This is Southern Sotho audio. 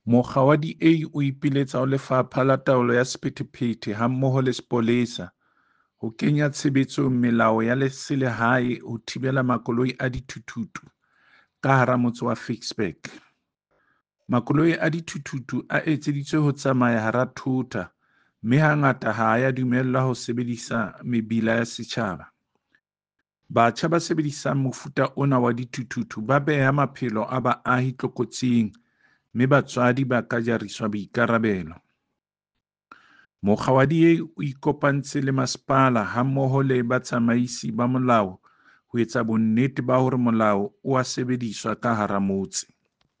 Mokga wa DA o ipiletsa ho Lefapha la Taolo ya Sephethephethe hammoho le sepolesa ho kenya tshebetsong melao ya selehae ho thibela makoloi a dithuthuthu ka hara motse wa Ficksburg. Makoloi a dithuthuthu a etseditswe ho tsamaya hara thota mme hangata ha a dumellwa ho sebedisa mebila ya setjhaba. Batjha ba sebedisang mofuta ona wa dithuthuthu ba beha maphelo a baahi tlokotsing mme batswadi ba ka jariswa boikarabelo. Mokga wa DA o ikopantse le masepala hammoho le batsamaisi ba molao ho etsa bonnete ba hore molao o a sebediswa ka hara motse.